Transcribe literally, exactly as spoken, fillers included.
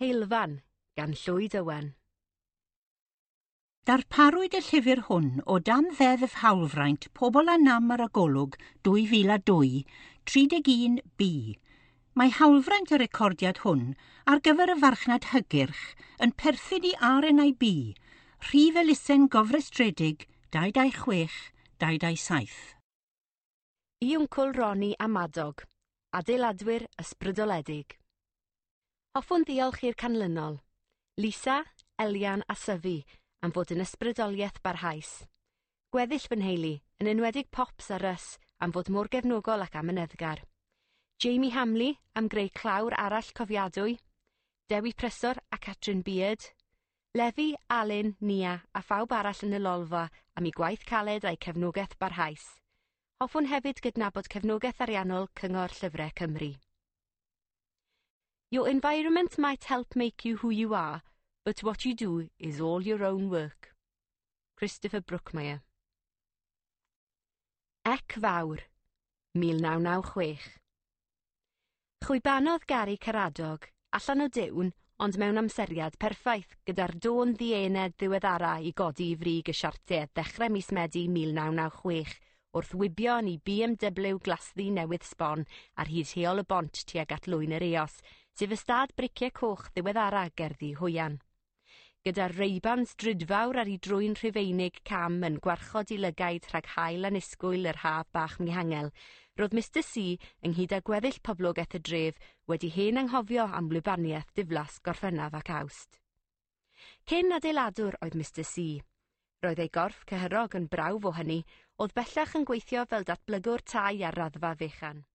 Heulfan gan Llwyd Owen. Darparwyd y llyfr hwn o dan Ddeddf Hawlfraint Pobl â Nam ar y Golwg dwy fil a dwy, tri deg un B. Mae hawlfraint y recordiad hwn ar gyfer y farchnad hygyrch yn perthyn i R N I B, rhif elusen gofrestredig dau dau chwech dau dau saith. I Wncwl Roni a Madog, adeiladwyr ysbrydoledig. Hoffwn ddiolch i'r canlynol: Lisa, Elian a Syfi am fod yn ysbrydoliaeth barhaus. Gweddill fy nheulu, yn enwedig Pops a Russ, am fod mor gefnogol ac amyneddgar. Jamie Hamley am greu clawr arall cofiadwy, Dewi Prysor a Catrin Beard, Lefi, Alun, Nia a phawb arall yn y lolfa am eu gwaith caled a'u cefnogaeth barhaus. Hoffwn hefyd gydnabod cefnogaeth ariannol Cyngor Llyfrau Cymru. Your environment might help make you who you are, but what you do is all your own work. Christopher Brookmeyer. Ec Fawr, mil naw naw chwech. Chwibanodd Gary Caradog allan o diwn, ond mewn amseriad perffaith, gyda'r dôn ddiened ddiweddara i godi i frig y siartiau ddechrau mis Medi mil naw naw chwech, wrth wibio yn ei B M W glasddu newydd sbon ar hyd heol y bont tuag at Lwyn yr Eos, sef ystâd briciau coch ddiweddara gerddi Hwyan. Gyda'r Ray-Bans drudfawr ar ei drwyn Rhufeinig cam yn gwarchod i lygaid rhag haul annisgwyl yr haf bach mihangel, roedd Mister C, ynghyd â gweddill poblogaeth y dref, wedi hen anghofio am wlybaniaeth diflas Gorffennaf ac Awst. Cyn adeiladwr oedd Mister C. Roedd ei gorff cyhyrog yn brawf o hynny, oedd bellach yn gweithio fel datblygwr tai ar raddfa fechan.